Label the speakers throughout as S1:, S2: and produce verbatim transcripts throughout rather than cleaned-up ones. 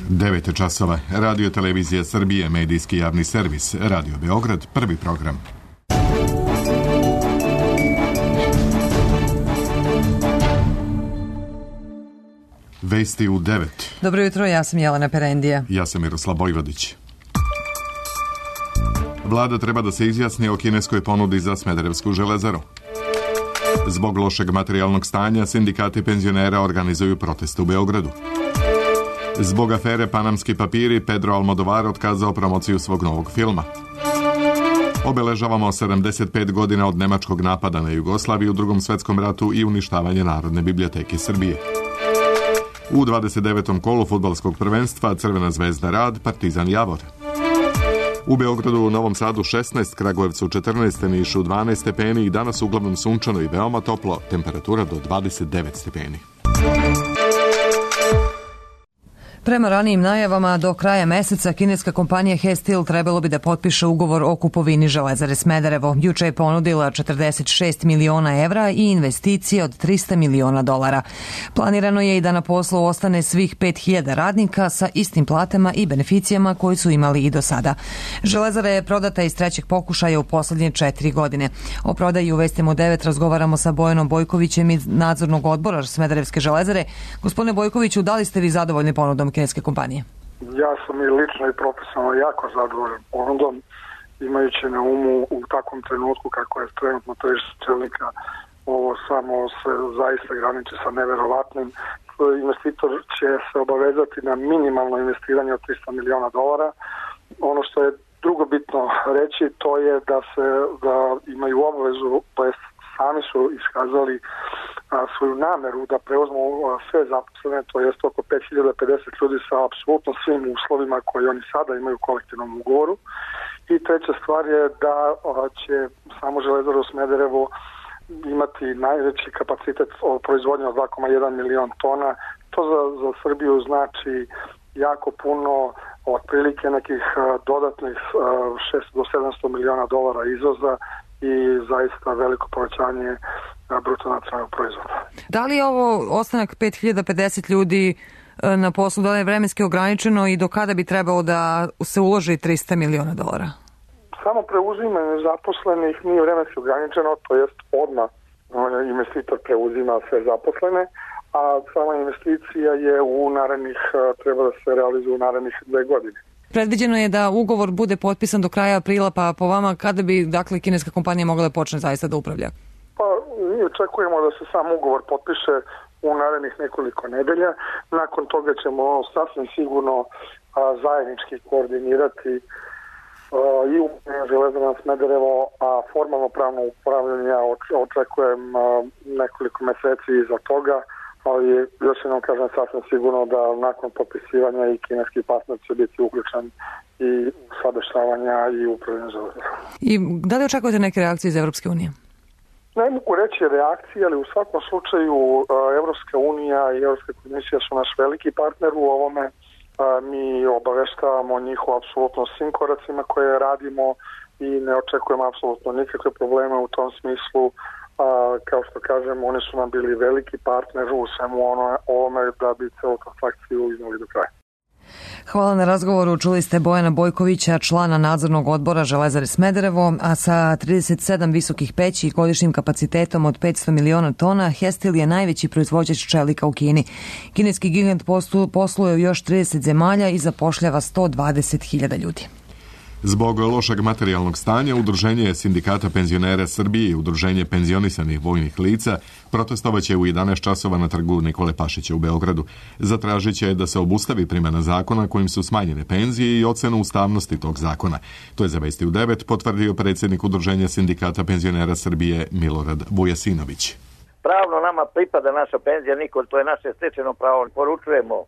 S1: devet časova. Radio Televizija Srbije, medijski javni servis. Radio Beograd, prvi program. Vesti u devet.
S2: Dobro jutro, ja sam Jelena Perendija.
S1: Ja sam Miroslav Bojvodić. Vlada treba da se izjasni o kineskoj ponudi za Smederevsku železaru. Zbog lošeg materijalnog stanja, sindikati penzionera organizuju proteste u Beogradu. Zbog afere Panamski papiri, Pedro Almodovar otkazao promociju svog novog filma. Obeležavamo sedamdeset pet godina od nemačkog napada na Jugoslaviju u Drugom svetskom ratu i uništavanje Narodne biblioteke Srbije. U dvadeset devetom kolu fudbalskog prvenstva Crvena zvezda Rad, Partizan Javor. U Beogradu, u Novom Sadu šesnaest, Kragujevcu četrnaest, Nišu dvanaest stepeni i danas uglavnom sunčano i veoma toplo, temperatura do dvadeset devet stepeni.
S2: Prema ranijim najavama, do kraja meseca kineska kompanija He Steel trebalo bi da potpiše ugovor o kupovini Železare Smederevo. Juče je ponudila četrdeset šest miliona evra i investicije od trista miliona dolara. Planirano je i da na poslu ostane svih pet hiljada radnika sa istim platama i beneficijama koji su imali i do sada. Železara je prodata iz trećeg pokušaja u poslednje četiri godine. O prodaji u Vestima u devet razgovaramo sa Bojanom Bojkovićem iz nadzornog odbora Smederevske železare. Gospodine Bojkoviću, da li ste vi zadovoljni ponudom kineske kompanije?
S3: Ja sam i lično i profesionalno jako zadovoljan ponudom, imajući na umu u takvom trenutku kako je trenutno tržište čelika, ovo samo se zaista graniči sa neverovatnim. Investitor će se obavezati na minimalno investiranje od trista miliona dolara. Ono što je drugo bitno reći, to je da se da imaju obavezu, to jest sami su iskazali a, svoju nameru da preuzmu a, sve zaposlene, to jest oko pet hiljada pedeset ljudi sa apsolutno svim uslovima koje oni sada imaju u kolektivnom ugovoru. I treća stvar je da a, će samo Železara u Smederevo imati najveći kapacitet proizvodnje od dva zarez jedan milion tona. To za, za Srbiju znači jako puno, otprilike nekih a, dodatnih a, šesto do sedamsto miliona dolara izvoza i zaista veliko povećanje bruto nacionalnog proizvoda.
S2: Da li je ovo ostanak pet hiljada pedeset ljudi na poslu, da je vremenski ograničeno i do kada bi trebalo da se uloži trista miliona dolara?
S3: Samo preuzimanje zaposlenih nije vremenski ograničeno, to jest odmah investitor preuzima sve zaposlene, a sama investicija je u narednih, treba da se realizuje u narednih dve godine.
S2: Predviđeno je da ugovor bude potpisan do kraja aprila, pa po vama kada bi dakle kineska kompanija mogla da počne zaista da upravlja?
S3: Pa mi očekujemo da se sam ugovor potpiše u narednih nekoliko nedelja. Nakon toga ćemo sasvim sigurno a, zajednički koordinirati a, i u Železara Smederevo, a formalno pravno upravljanje ja očekujem a, nekoliko meseci iza toga, ali još jednom kažem sasvim sigurno da nakon potpisivanja i kineski partner će biti uključen i sadešavanja i upravljanja železara.
S2: I da li očekujete neke reakcije iz Evropske unije?
S3: Ne mogu reći reakcije, ali u svakom slučaju Evropska unija i Evropska komisija su naš veliki partner u ovome. Mi obaveštavamo njih o apsolutno svim koracima koje radimo i ne očekujemo apsolutno nikakve probleme u tom smislu. A, kao što kažem, oni su nam bili veliki partner u svemu ono, ovome da bi celu transakciju iznali do kraja.
S2: Hvala na razgovoru. Čuli ste Bojana Bojkovića, člana nadzornog odbora Železare Smederevo, a sa trideset sedam visokih peći i godišnjim kapacitetom od petsto miliona tona, He Steel je najveći proizvođač čelika u Kini. Kineski gigant posluje u još trideset zemalja i zapošljava sto dvadeset hiljada ljudi.
S1: Zbog lošeg materijalnog stanja, Udruženje sindikata penzionera Srbije i Udruženje penzionisanih vojnih lica protestovaće u jedanaest časova na trgu Nikole Pašića u Beogradu. Zatražit će da se obustavi primjena zakona kojim su smanjene penzije i ocenu ustavnosti tog zakona. To je za Vesti u devet potvrdio predsjednik Udruženja sindikata penzionera Srbije Milorad Vujasinović.
S4: Pravno nama pripada naša penzija, Nikol, to je naše stečeno pravo. Poručujemo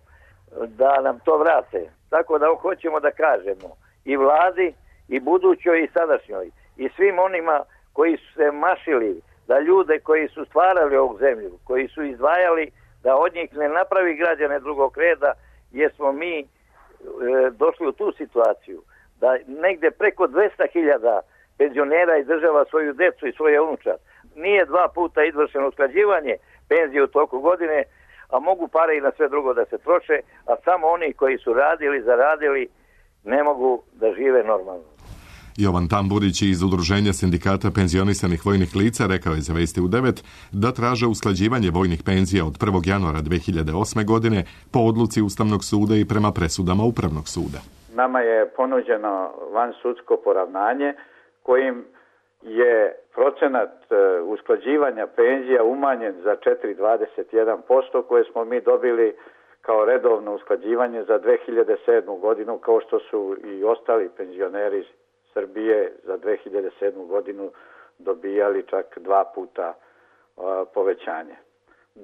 S4: da nam to vrate. Tako da hoćemo da kažemo i vladi, i budućoj, i sadašnjoj, i svim onima koji su se mašili da ljude koji su stvarali ovu zemlju, koji su izdvajali da od njih ne napravi građane drugog reda, jer smo mi e, došli u tu situaciju da negde preko dvesta hiljada penzionera izdržava svoju decu i svoje unučad. Nije dva puta izvršeno usklađivanje penzije u toku godine, a mogu pare i na sve drugo da se troše, a samo oni koji su radili, zaradili, ne mogu da žive normalno.
S1: Jovan Tamburić iz Udruženja sindikata penzionisanih vojnih lica rekao je za Vesti u devet da traže usklađivanje vojnih penzija od prvog januara dve hiljade osme. godine po odluci Ustavnog suda i prema presudama Upravnog suda.
S5: Nama je ponuđeno vansudsko poravnanje kojim je procenat usklađivanja penzija umanjen za četiri zarez dvadeset jedan posto koje smo mi dobili kao redovno usklađivanje za dve hiljade sedmu. godinu, kao što su i ostali penzioneri Srbije za dve hiljade sedmu. godinu dobijali čak dva puta uh, povećanje.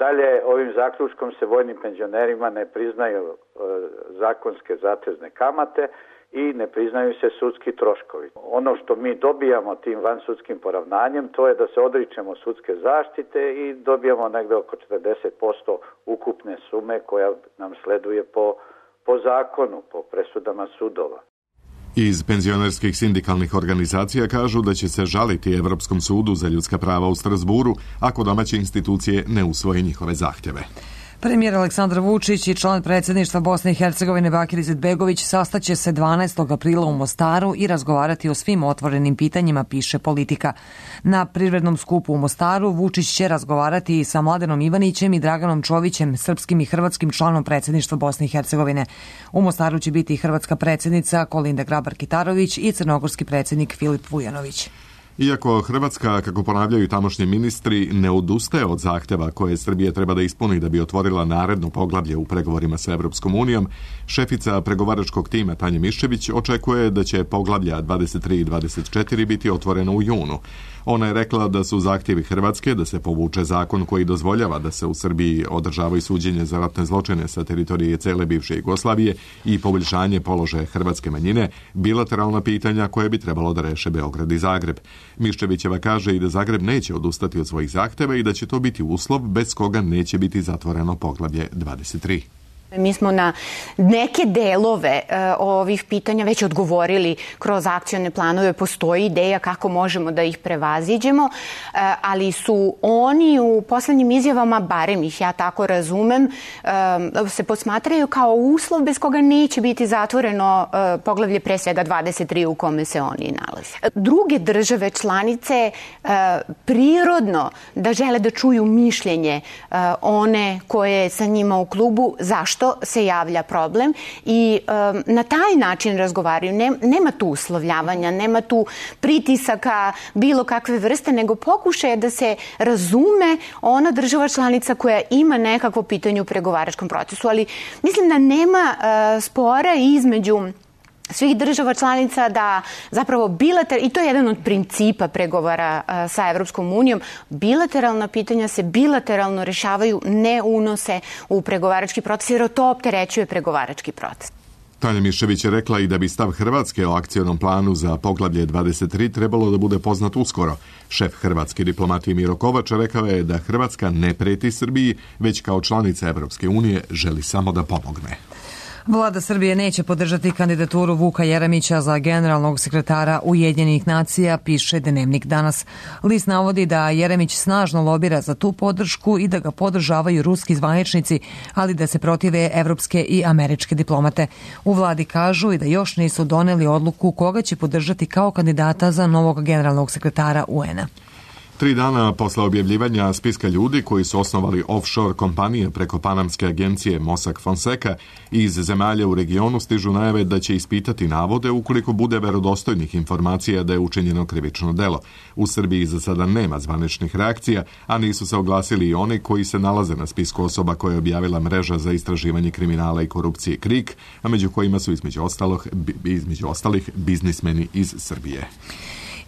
S5: Dalje, ovim zaključkom se vojnim penzionerima ne priznaju uh, zakonske zatezne kamate i ne priznaju se sudski troškovi. Ono što mi dobijamo tim vansudskim poravnanjem, to je da se odričemo sudske zaštite i dobijamo negde oko četrdeset posto ukupne sume koja nam sleduje po, po zakonu, po presudama sudova.
S1: Iz penzionerskih sindikalnih organizacija kažu da će se žaliti Evropskom sudu za ljudska prava u Strasburu ako domaće institucije ne usvoje njihove zahtjeve.
S2: Premijer Aleksandar Vučić i član predsjedništva Bosne i Hercegovine Bakir Izetbegović sastaće se dvanaestog aprila u Mostaru i razgovarati o svim otvorenim pitanjima, piše Politika. Na privrednom skupu u Mostaru Vučić će razgovarati i sa Mladenom Ivanićem i Draganom Čovićem, srpskim i hrvatskim članom predsjedništva Bosne i Hercegovine. U Mostaru će biti i hrvatska predsjednica Kolinda Grabar-Kitarović i crnogorski predsjednik Filip Vujanović.
S1: Iako Hrvatska, kako ponavljaju tamošnji ministri, ne odustaje od zahtjeva koje Srbija treba da ispuni da bi otvorila naredno poglavlje u pregovorima sa Evropskom unijom, šefica pregovaračkog tima Tanja Miščević očekuje da će poglavlja dvadeset tri i dvadeset četiri biti otvoreno u junu. Ona je rekla da su zahtjevi Hrvatske da se povuče zakon koji dozvoljava da se u Srbiji održavaju suđenje za ratne zločine sa teritorije cele bivše Jugoslavije i poboljšanje položaja hrvatske manjine bilateralna pitanja koje bi trebalo da reše Beograd i Zagreb. Miščevićeva kaže i da Zagreb neće odustati od svojih zahtjeva i da će to biti uslov bez koga neće biti zatvoreno poglavlje dvadeset tri.
S6: Mi smo na neke delove uh, ovih pitanja već odgovorili kroz akcione planove. Postoji ideja kako možemo da ih prevaziđemo, uh, ali su oni u poslednjim izjavama, barem ih ja tako razumem, uh, se posmatraju kao uslov bez koga neće biti zatvoreno uh, poglavlje pre svega dvadeset tri u kome se oni nalaze. Druge države članice uh, prirodno da žele da čuju mišljenje uh, one koje sa njima u klubu, zašto se javlja problem i um, na taj način razgovaraju. Ne, nema tu uslovljavanja, nema tu pritisaka bilo kakve vrste, nego pokušaje da se razume ona država članica koja ima nekakvo pitanje u pregovaračkom procesu. Ali mislim da nema uh, spora između svih država članica da zapravo bilateralno, i to je jedan od principa pregovora uh, sa Evropskom unijom, bilateralna pitanja se bilateralno rešavaju, ne unose u pregovarački proces, jer to opterećuje pregovarački proces.
S1: Tanja Miščević je rekla i da bi stav Hrvatske o akcionom planu za poglavlje dvadeset tri trebalo da bude poznat uskoro. Šef hrvatske diplomatije Miro Kovač rekao je da Hrvatska ne preti Srbiji, već kao članica Evropske unije želi samo da pomogne.
S2: Vlada Srbije neće podržati kandidaturu Vuka Jeremića za generalnog sekretara Ujedinjenih nacija, piše Dnevnik danas. List navodi da Jeremić snažno lobira za tu podršku i da ga podržavaju ruski zvaničnici, ali da se protive evropske i američke diplomate. U vladi kažu i da još nisu doneli odluku koga će podržati kao kandidata za novog generalnog sekretara U N-a.
S1: Tri dana posle objavljivanja spiska ljudi koji su osnovali offshore kompanije preko panamske agencije Mossack Fonseca iz zemalja u regionu stižu najave da će ispitati navode ukoliko bude verodostojnih informacija da je učinjeno krivično delo. U Srbiji za sada nema zvaničnih reakcija, a nisu se oglasili i oni koji se nalaze na spisku osoba koje je objavila mreža za istraživanje kriminala i korupcije KRIK, a među kojima su između ostalih, između ostalih biznismeni iz Srbije.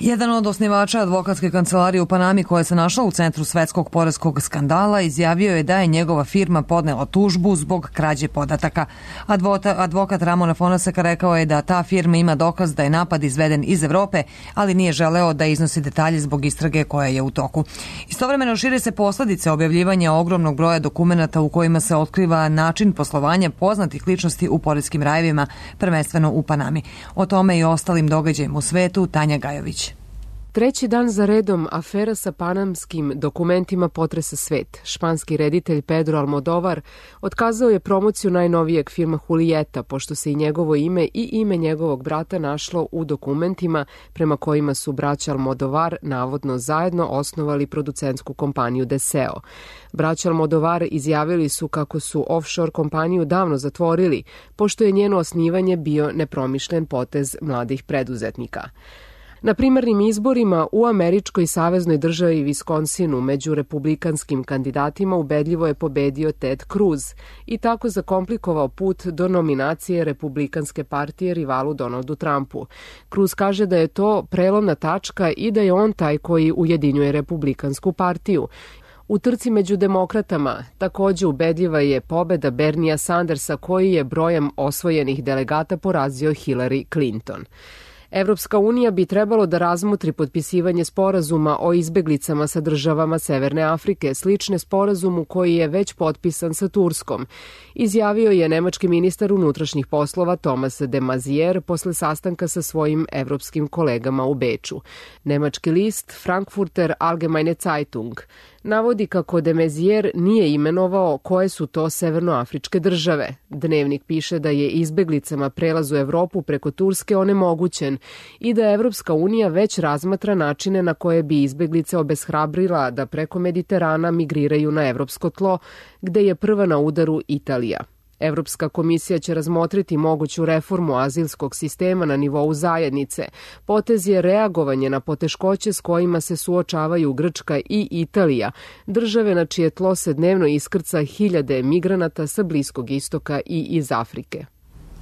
S2: Jedan od osnivača advokatske kancelarije u Panami koja se našla u centru svetskog poreskog skandala izjavio je da je njegova firma podnela tužbu zbog krađe podataka. Advota, advokat Ramona Fonaseka rekao je da ta firma ima dokaz da je napad izveden iz Evrope, ali nije želeo da iznosi detalje zbog istrage koja je u toku. Istovremeno šire se posledice objavljivanja ogromnog broja dokumenata u kojima se otkriva način poslovanja poznatih ličnosti u poreskim rajevima, prvenstveno u Panami. O tome i ostalim događajima u svetu Tanja Gajović.
S7: Treći dan za redom afera sa panamskim dokumentima potresa svet. Španski reditelj Pedro Almodovar otkazao je promociju najnovijeg filma Julieta, pošto se i njegovo ime i ime njegovog brata našlo u dokumentima prema kojima su braća Almodovar navodno zajedno osnovali producentsku kompaniju Deseo. Braća Almodovar izjavili su kako su offshore kompaniju davno zatvorili, pošto je njeno osnivanje bio nepromišljen potez mladih preduzetnika. Na primarnim izborima u američkoj saveznoj državi Viskonsinu među republikanskim kandidatima ubedljivo je pobedio Ted Cruz i tako zakomplikovao put do nominacije Republikanske partije rivalu Donaldu Trumpu. Cruz kaže da je to prelomna tačka i da je on taj koji ujedinjuje Republikansku partiju. U trci među demokratama takođe ubedljiva je pobeda Bernija Sandersa koji je brojem osvojenih delegata porazio Hillary Clinton. Evropska unija bi trebalo da razmotri potpisivanje sporazuma o izbeglicama sa državama Severne Afrike, slične sporazumu koji je već potpisan sa Turskom, izjavio je nemački ministar unutrašnjih poslova Thomas de Maizière posle sastanka sa svojim evropskim kolegama u Beču. Nemački list Frankfurter Allgemeine Zeitung navodi kako de Maizière nije imenovao koje su to severnoafričke države. Dnevnik piše da je izbeglicama prelaz u Evropu preko Turske onemogućen i da Evropska unija već razmatra načine na koje bi izbeglice obeshrabrila da preko Mediterana migriraju na evropsko tlo, gde je prva na udaru Italija. Evropska komisija će razmotriti moguću reformu azilskog sistema na nivou zajednice. Potez je reagovanje na poteškoće s kojima se suočavaju Grčka i Italija, države na čije tlo se dnevno iskrca hiljade migranata sa Bliskog istoka i iz Afrike.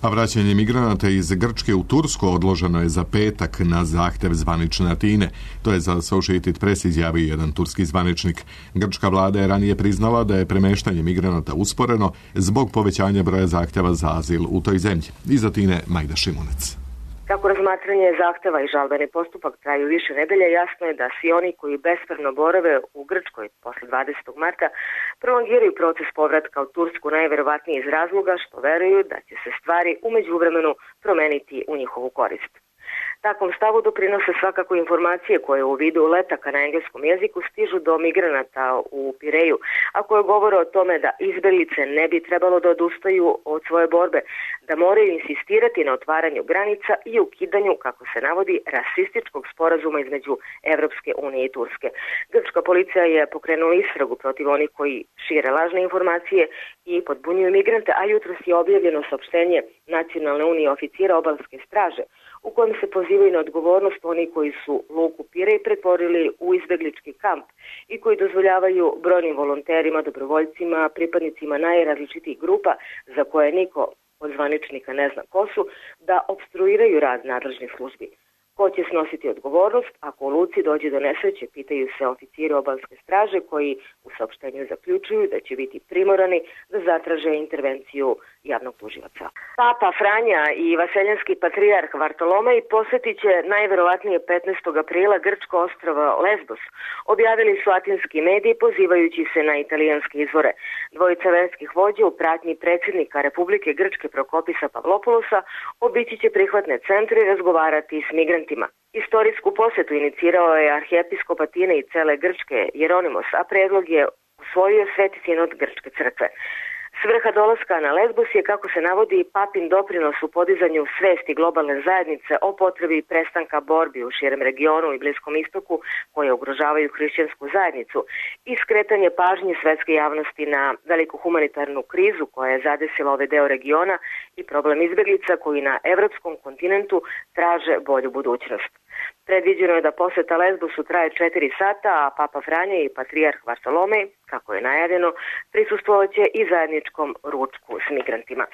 S1: A vraćanje migranata iz Grčke u Tursku odloženo je za petak na zahtev zvanične Atine. To je za Associated Press izjavio jedan turski zvaničnik. Grčka vlada je ranije priznala da je premeštanje migranata usporeno zbog povećanja broja zahteva za azil u toj zemlji. Iz Atine Majda Šimunec.
S8: Kako razmatranje zahteva i žalbeni postupak traju više nedelja, jasno je da svi oni koji bespravno borave u Grčkoj posle dvadesetog marta prolongiraju proces povratka u Tursku najverovatnije iz razloga što veruju da će se stvari u međuvremenu promeniti u njihovu korist. Takvom stavu doprinose svakako informacije koje u vidu letaka na engleskom jeziku stižu do migranata u Pireju, a koje govore o tome da izbeglice ne bi trebalo da odustaju od svoje borbe, da moraju insistirati na otvaranju granica i ukidanju, kako se navodi, rasističkog sporazuma između Evropske unije i Turske. Grčka policija je pokrenula istragu protiv onih koji šire lažne informacije i podbunjuju migrante, a jutros je objavljeno saopštenje Nacionalne unije oficira obalske straže, u kojem se pozivaju na odgovornost oni koji su luku Pirej pretvorili u izbeglički kamp i koji dozvoljavaju brojnim volonterima, dobrovoljcima, pripadnicima najrazličitijih grupa za koje niko od zvaničnika ne zna ko su, da obstruiraju rad nadležnih službi. Ko će snositi odgovornost ako u luci dođe do nesreće, pitaju se oficiri obalske straže koji u saopštenju zaključuju da će biti primorani da zatraže intervenciju javnog tužilaca. Papa Franja i vaseljanski patrijarh Vartolomej posetit će najverovatnije petnaestog aprila grčko ostrvo Lesbos, objavili su atinski mediji pozivajući se na italijanske izvore. Dvojica verskih vođa u pratnji predsjednika Republike Grčke Prokopisa Pavlopoulosa obići će prihvatne centre i razgovarati s migrantima. Istorijsku posetu inicirao je arhijepiskop Atine i cele Grčke Jeronimos, a predlog je usvojio Sveti sinod Grčke crkve. Svrha dolaska na Lesbos je, kako se navodi, papin doprinos u podizanju svesti globalne zajednice o potrebi prestanka borbi u širem regionu i Bliskom istoku koje ugrožavaju hrišćansku zajednicu i skretanje pažnje svetske javnosti na veliku humanitarnu krizu koja je zadesila ovaj deo regiona i problem izbeglica koji na evropskom kontinentu traže bolju budućnost. Predviđeno je da poseta Lesbosu traje četiri sata, a Papa Franja i patrijarh Vartolomej, kako je najavljeno, prisustvovaće i zajedničkom ručku s migrantima.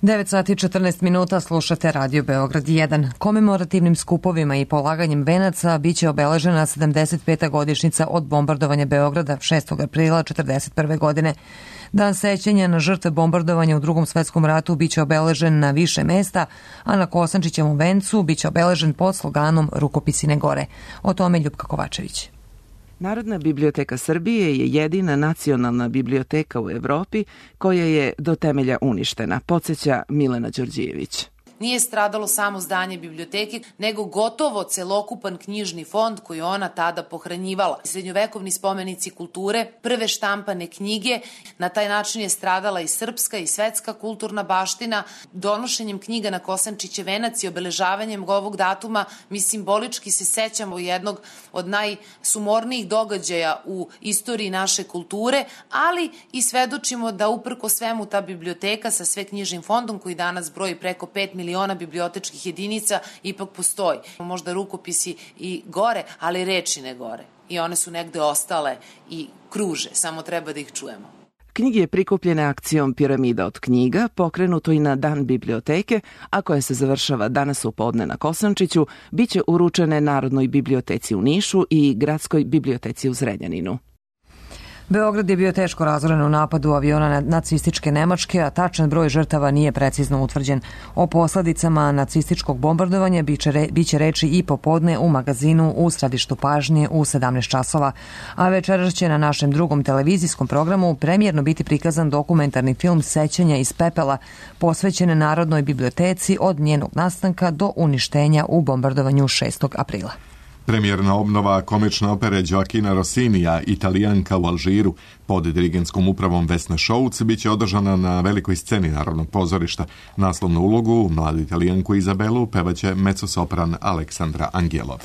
S2: devet sati i četrnaest minuta, slušate Radio Beograd jedan. Komemorativnim skupovima i polaganjem venaca biće obeležena sedamdeset peta godišnjica od bombardovanja Beograda šestog aprila četrdeset prve godine. Dan sećanja na žrtve bombardovanja u Drugom svetskom ratu biće obeležen na više mesta, a na Kosančićevom vencu biće obeležen pod sloganom Rukopisine gore. O tome Ljupka Kovačević.
S9: Narodna biblioteka Srbije je jedina nacionalna biblioteka u Evropi koja je do temelja uništena, podsjeća Milena Đorđijević.
S10: nije stradalo samo zdanje biblioteke, nego gotovo celokupan knjižni fond koji ona tada pohranjivala. Srednjovekovni spomenici kulture, prve štampane knjige, na taj način je stradala i srpska i svetska kulturna baština. Donošenjem knjiga na Kosančićev venac i obeležavanjem ovog datuma mi simbolički se sećamo jednog od najsumornijih događaja u istoriji naše kulture, ali i svedočimo da uprko svemu ta biblioteka sa sve knjižnim fondom koji danas broji preko pet miliona bibliotečkih jedinica ipak postoji. Možda rukopisi i gore, ali reči ne gore. I one su negde ostale i kruže, samo treba da ih čujemo.
S9: Knjige prikupljene akcijom Piramida od knjiga, pokrenuto i na Dan biblioteke, a koja se završava danas u podne na Kosančiću, biće uručene Narodnoj biblioteci u Nišu i Gradskoj biblioteci u Zrenjaninu.
S2: Beograd je bio teško razoren u napadu aviona nacističke Nemačke, a tačan broj žrtava nije precizno utvrđen. O posledicama nacističkog bombardovanja biće reči i popodne u magazinu u središtu pažnje u sedamnaest časova. A večeras će na našem drugom televizijskom programu premijerno biti prikazan dokumentarni film Sećanja iz pepela, posvećen Narodnoj biblioteci od njenog nastanka do uništenja u bombardovanju šestog aprila.
S1: Premijerna obnova komične opere Gioacchina Rossinija Italijanka u Alžiru pod dirigentskom upravom Vesne Šouc biće održana na velikoj sceni Narodnog pozorišta. Naslovnu ulogu, mladu Italijanku Izabelu, pevaće mezzosopran Aleksandra Angelov.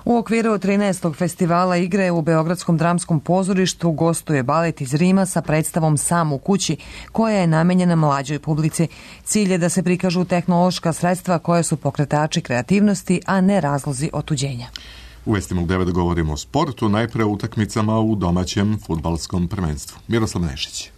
S2: U okviru trinaestog festivala igre u Beogradskom dramskom pozorištu gostuje balet iz Rima sa predstavom Sam u kući, koja je namenjena mlađoj publici. Cilj je da se prikažu tehnološka sredstva koje su pokretači kreativnosti, a ne razlozi otuđenja.
S1: U Vestima u devet govorimo o sportu, najpre o utakmicama u domaćem fudbalskom prvenstvu. Miroslav Nešić.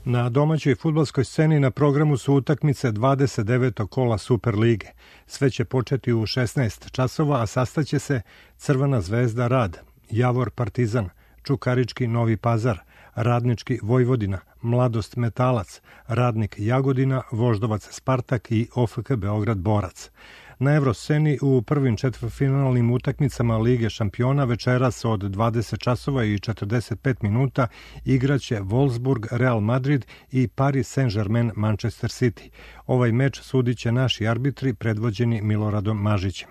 S11: Na domaćoj fudbalskoj sceni na programu su utakmice dvadeset devetog kola Superlige. Sve će početi u šesnaest časova, a sastaće se Crvena zvezda Rad, Javor Partizan, Čukarički Novi Pazar, Radnički Vojvodina, Mladost Metalac, Radnik Jagodina, Voždovac Spartak i O F K Beograd Borac. Na Evrosceni u prvim četvrtfinalnim utakmicama Lige šampiona večeras od dvadeset časova i četrdeset pet minuta igraće Wolfsburg Real Madrid i Paris Saint-Germain Manchester City. Ovaj meč sudiće naši arbitri predvođeni Miloradom Mažićem.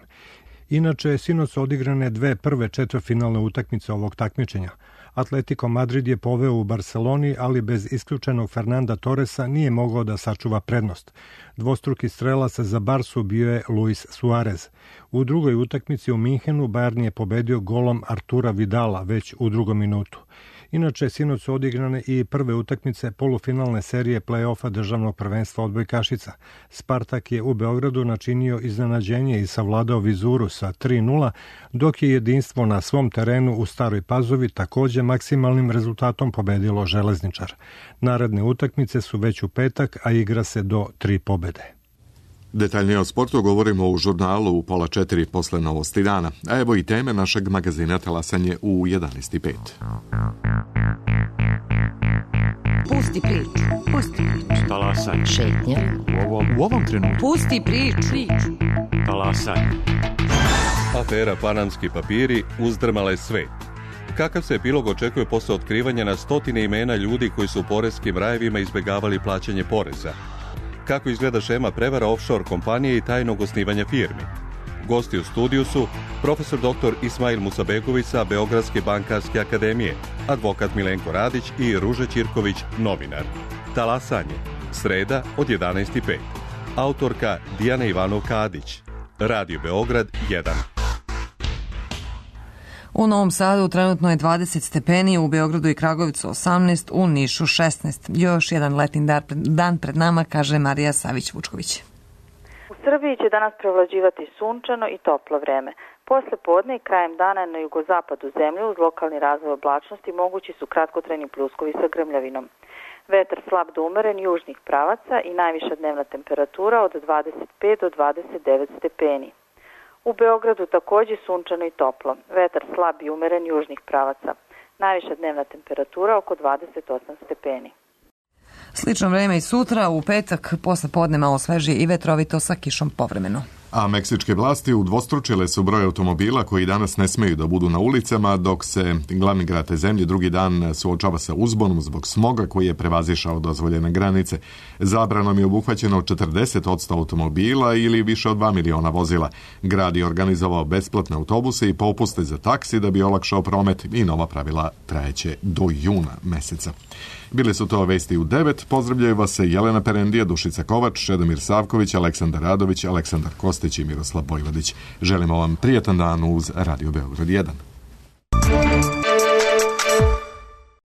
S11: Inače, sinoć su odigrane dve prve četvrtfinalne utakmice ovog takmičenja. Atletico Madrid je poveo u Barceloni, ali bez isključenog Fernanda Torresa nije mogao da sačuva prednost. Dvostruki strelac za Barsu bio je Luis Suarez. U drugoj utakmici u Minhenu Bayern je pobedio golom Artura Vidala već u drugom minutu. Inače, sinoć su odigrane i prve utakmice polufinalne serije play-offa državnog prvenstva odbojkašica. Spartak je u Beogradu načinio iznenađenje i savladao Vizuru sa tri nula, dok je jedinstvo na svom terenu u Staroj Pazovi takođe maksimalnim rezultatom pobedilo Železničar. Naredne utakmice su već u petak, a igra se do tri pobede.
S1: Detaljnije o sportu govorimo u žurnalu u pola četiri posle novosti dana. A evo i teme našeg magazina Talasanje u jedanaest i pet.
S12: Pusti priču, pusti priču.
S13: Talasanje.
S12: Šetnja.
S13: U ovom, u ovom trenutku.
S12: Pusti priču. priču.
S13: Talasanje.
S14: Afera Panamski papiri uzdrmala je svet. Kakav se epilog očekuje posle otkrivanja na stotine imena ljudi koji su u poreskim rajevima izbegavali plaćanje poreza? Kako izgleda šema prevara offshore kompanije i tajnog osnivanja firmi? Gosti u studiju su profesor doktor Ismail Musabegović sa Beogradske bankarske akademije, advokat Milenko Radić i Ruža Ćirković, novinar. Talasanje, sreda od jedanaest i pet. Autorka Dijana Ivanov-Kadić. Radio Beograd jedan.
S2: U Novom Sadu trenutno je dvadeset stepeni, u Beogradu i Kragujevcu osamnaest, u Nišu šesnaest. Još jedan letni dan pred nama, kaže Marija Savić-Vučković.
S15: U Srbiji će danas prevlađivati sunčano i toplo vreme. Posle podne i krajem dana na jugozapadu zemlje uz lokalni razvoj oblačnosti mogući su kratkotrajni pljuskovi sa grmljavinom. Vetar slab do umeren južnih pravaca i najviša dnevna temperatura od dvadeset pet do dvadeset devet stepeni. U Beogradu takođe sunčano i toplo. Vetar slab i umeren južnih pravaca. Najviša dnevna temperatura oko dvadeset osam stepeni.
S2: Slično vreme i sutra, u petak, posle podne malo svežije i vetrovito sa kišom povremeno.
S1: A meksičke vlasti udvostručile su broj automobila koji danas ne smeju da budu na ulicama, dok se glavni grad te zemlje drugi dan suočava sa uzbonom zbog smoga koji je prevazišao dozvoljene granice. Zabranom je obuhvaćeno četrdeset posto automobila ili više od dva miliona vozila. Grad je organizovao besplatne autobuse i popuste za taksi da bi olakšao promet i nova pravila trajeće do juna meseca. Bile su to vesti u devet. Pozdravljaju vas se Jelena Perendija, Dušica Kovač, Čedomir Savković, Aleksandar Radović, Aleksandar Kostić i Miroslav Bojvodić. Želimo vam prijatan dan uz Radio Beograd jedan.